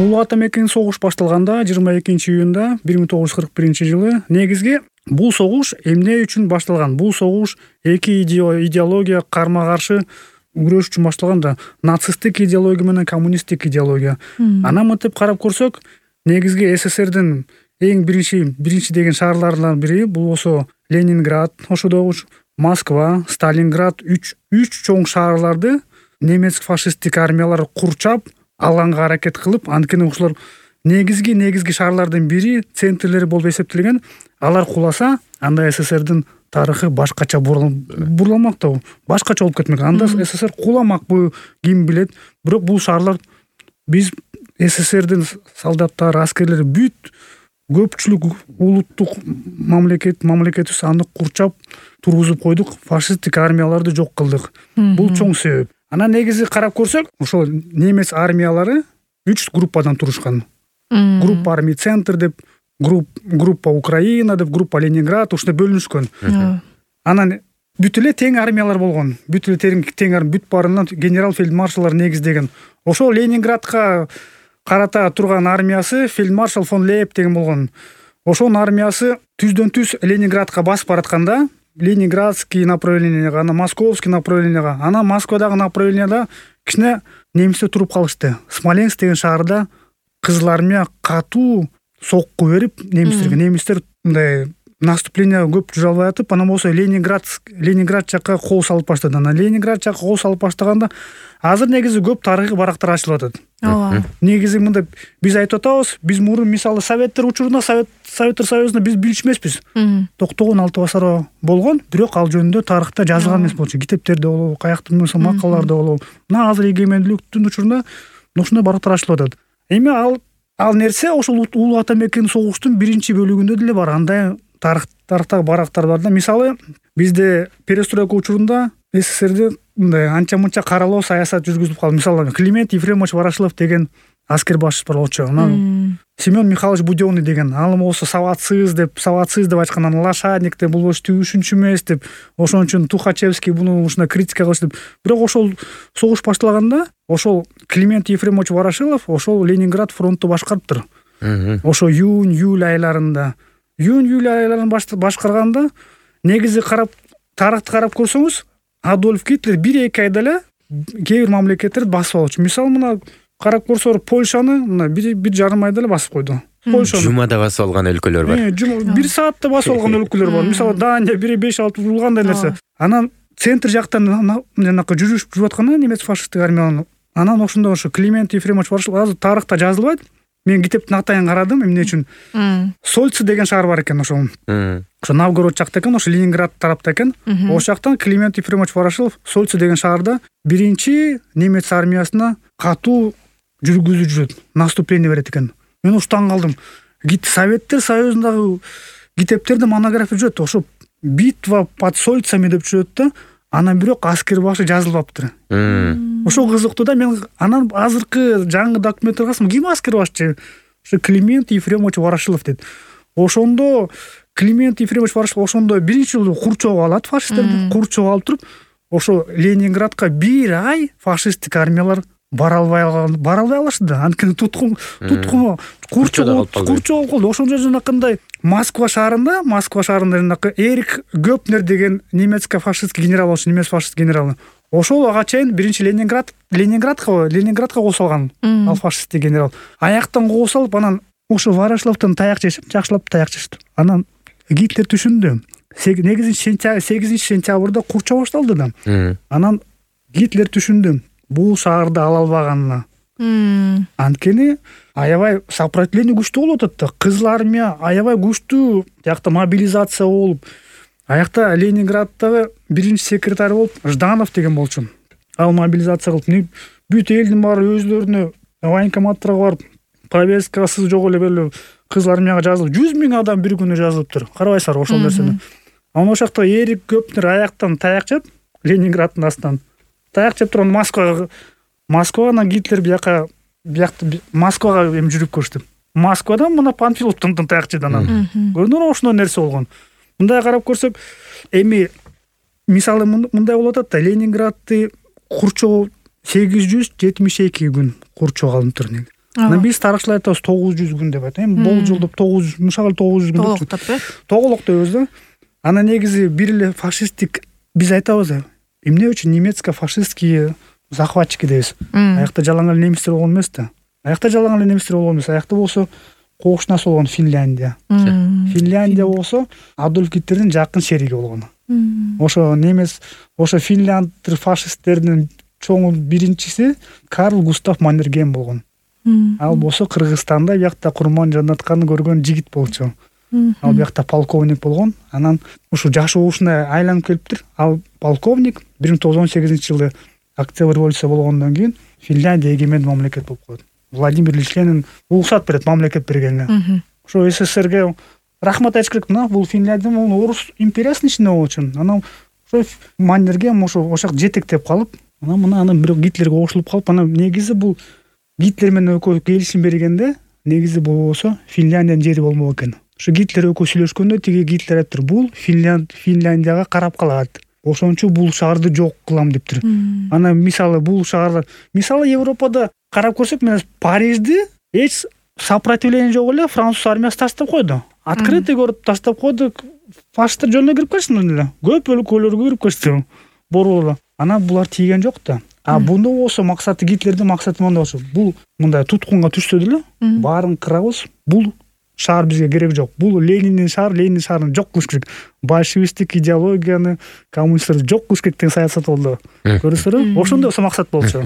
Улуу ата мекенин согуш башталганда 22-июнда 1941-жылы негизги бул согуш эмне үчүн башталган? Бул согуш эки идеология карма-каршы күрөш үчүн башталган да. Нацисттик идеология менен коммунисттик идеология. Анан мынтип карап көрсөк, негизги СССРдин эң биринчи деген шаарларынан бири бул болсо Ленинград, ошодогу Москва, Сталинград үч чоң шаарларды немец фашисттик армиялар курчап алганга аракет кылып, анткени ошолор негизги шаарлардын бири, центрлери болуп эсептелген. Алар куласа, анда СССРдин тарыхы башкача бурламак да, башкача болуп кетмек. Анда СССР куламак, бул ким билет. Бирок бул шаарлар биз СССРдин солдаттары, аскерлери бүт көпчүлүк улуттук мамлекетибиз аны курчап тургузуп койдук, фашисттик армияларды жок кылдык. Бул чоң себеп. Анан негизи карап көрсөк, ошол немец армиялары 3 группадан турушкан. Группа армий центр деп, группа Украина деп, группа Ленинград ушундай бөлүнүшкөн. Анан бүт эле тең армиялар болгон. Бүт эле тең армия, бүт баарынан генерал фельдмаршалдар негиздеген. Ошол Ленинградка карата турган армиясы фельдмаршал фон Лейб деген болгон. Ошонун армиясы түздөн-түз Ленинградка басып баратканда, Ленинградский направленияга, анан Московский направленияга, анан Москвадагы направленияда кичине немистер туруп калышты. Смоленск деген шаарда кызыл армия катуу сокку берип немистер мындай наступление көп жүрө албай атып, анан болсо Ленинград жакка кол салып баштады. Анан Ленинград жакка кол салып баштаганда азыр негизи көп тарыхый барактар ачылып атат. Негизи мындай биз айтып атабыз, биз мурун мисалы Советтер учурунда, Советтер Союзунда биз билчү эмеспиз. Токтогон алты басары болгон, бирок ал жөнүндө тарыхта жазылган эмес болчу. Китептерде болобу, каяктыр макалаларда болобу. Мына азыр эгемендүүлүктүн учурунда ушундай барактар ачылып атат. Эми ал нерсе ошол улуу ата мекен согуштун биринчи бөлүгүндө деле бар. Андай тарыхтагы барактар бар да. Мисалы, бизде перестройка учурунда СССРде мындай анча-мынча каралоо саясат жүргүзүлүп калды. Мисалы, Климент Ефремович Ворошилов деген аскер башчы бар болчу. Анан Семен Михайлович Будённый деген, ал болсо саватсыз деп айткан, анан лошадник деп, бул болчу түшүнчү эмес деп, ошон үчүн Тухачевский буну ушундай критика кылыш деп. Бирок ошол согуш башталганда, ошол Климент Ефремович Ворошилов ошол Ленинград фронту башкарыптыр. Ошо июнь-июль айларында башкарганда, негизи тарыхты карап көрсөңүз, Адольф Гитлер 1-2 айда эле кээ бир мамлекеттерди басып алчу. Мисалы, мына карап көрсөңөр, Польшаны мына 1,5 айда эле басып койду. Польшаны жумада басып алган өлкөлөр бар. 1 саатта басып алган өлкөлөр бар. Мисалы, Дания 5-6 булгандай нерсе. Анан центр жактан жанакы жүрүп атканда немец фашисттик армиянын, анан ошондо Климент Ефремович Ворошилов азыр тарыхта жазылбайт. Мен китептин атайын карадым, эмне үчүн? Сольцы деген шаар бар экен ошол. Ошо Новгород жакта экен, ошо Ленинград тарапта экен. Ошол жактан Климент Ефремович Ворошилов Сольцы деген шаарда биринчи немец армиясына катуу жүргүзүп жүрөт, наступление берет экен. Мен таң калдым. Советтер Союзундагы китептерде монография жүрөт, ошо битва под Сольцами деп жүрөт да, анан бирок аскер башы жазылбаптыр. Ошо кызыктуу да. Мен анан азыркы жаңы документтерге карасам, ким аскер башчы? Ошо Климент Ефремович Ворошилов дейт. Ошондо Климент Ефремович Ворошилов ошондо биринчи жолу курчоп алат фашисттерди, курчоп алып туруп, ошо Ленинградка 1 ай фашисттик армиялар бара албай алышты да. Анткени туткун курчоп калды. Ошондо жанакындай Москва шаарында жанакы Эрик Гёпнер деген немецко фашистский генерал болчу, немец фашист генералы. Ошол ага чейин биринчи Ленинградка кол салган ал фашисттик генерал. Аяктан кол салып, анан ошо Ворошиловдон таяк жешип, жакшылап таяк жешти. Анан Гитлер түшүндү. 8 сентябрда курчоо башталды да. Анан Гитлер түшүндү бул шаарды ала албаганына. Анткени аябай сопротивление күчтүү болуп атат да. Кызыл армия аябай күчтүү, жакта мобилизация болуп. Аякта Ленинграддагы биринчи секретарь болуп Жданов деген болчу. Ал мобилизация кылып, бүт элдин баары өзлөрүнө военкоматтарга барып, повесткасы жок эле беле кызыл армияга жазылып, 100 000 адам бир күнү жазылыптыр. Карабайсыздар ошол нерсени. Анан ошол жакта Эрик Гёпнер аяктан таяк жеп, Ленинграддын астынан таяк жеп турган Москвага Гитлер биякта Москвага жүрүп көрүштү. Москвадан мына Панфиловдон таяк жеди анан. Көрдүңөр, ошондой нерсе болгон. Мындай карап көрсөк, эми мисалы мындай болуп атат да, Ленинградды курчоо 872 күн курчоо калыныптыр. анан биз тарыхчылар айтабыз 900 күн деп айтат. Эми болжолдоп 900, мышалы 900 күн деп тоголоктойбуз да. Анан негизи бир эле фашисттик биз айтабыз, эмне үчүн немецко-фашистские захватчики дейбиз. Аякта жалаң эле немистер болгон эмес да. Аякта жалаң эле немистер болгон эмес. Аякта болсо кошунасы болгон Финляндия. Финляндия болсо Адольф Гитлердин жакын шериги болгон. Ошо немец, ошо финляндтер фашисттердин чоңу биринчиси Карл Густав Маннергейм болгон. Ал болсо Кыргызстанда биякта курман жанатканды көргөн жигит болчу. Ал биякта полковник болгон. Анан ушу жашоо ушундай айланып келиптир. Ал полковник 1918-жылы Октябрь революция болгондон кийин Финляндия эгемен мамлекет болуп калат. Владимир Ильич Ленин уруксат берет мамлекет бергенине. Ошо СССРге рахмат айтыш керек. Мына бул Финляндия орус империясынын ичинде болчу. Анан ошо Маннергейм ошол жетектеп калып, анан бирок Гитлерге кошулуп калып, анан негизи бул Гитлер менен экөө келишим бергенде, негизи бул болсо Финляндиянын жери болмок экен. Ошо Гитлер экөө сүйлөшкөндө тиги Гитлер айтыптыр, бул Финляндияга карап калат. Ошон үчүн бул шаарды жок кылам дептир. Анан мисалы бул шаарлар, мисалы Европада карап көрсөк, мен Парижди эч сопротивление жок эле француз армиясы таштап койду. Открытый көрүп таштап койду. Фашисттер жөнүнө кирип кетишти эле. Көп өлкөлөргө кирип кетишти. Борулу. Анан булар тийген жок да. Бундо болсо максаты Гитлердин максаты мындай болчу. Бул мындай туткунга түшсө деле баарын кырабыз. Бул шаар бизге керек жок. Бул Лениндин шаарын жок кылыш керек. Большевистик идеологияны, коммунисттерди жок кылыш керек деген саясат болду. Көрүсүңөрбү? Ошондой максат болчу.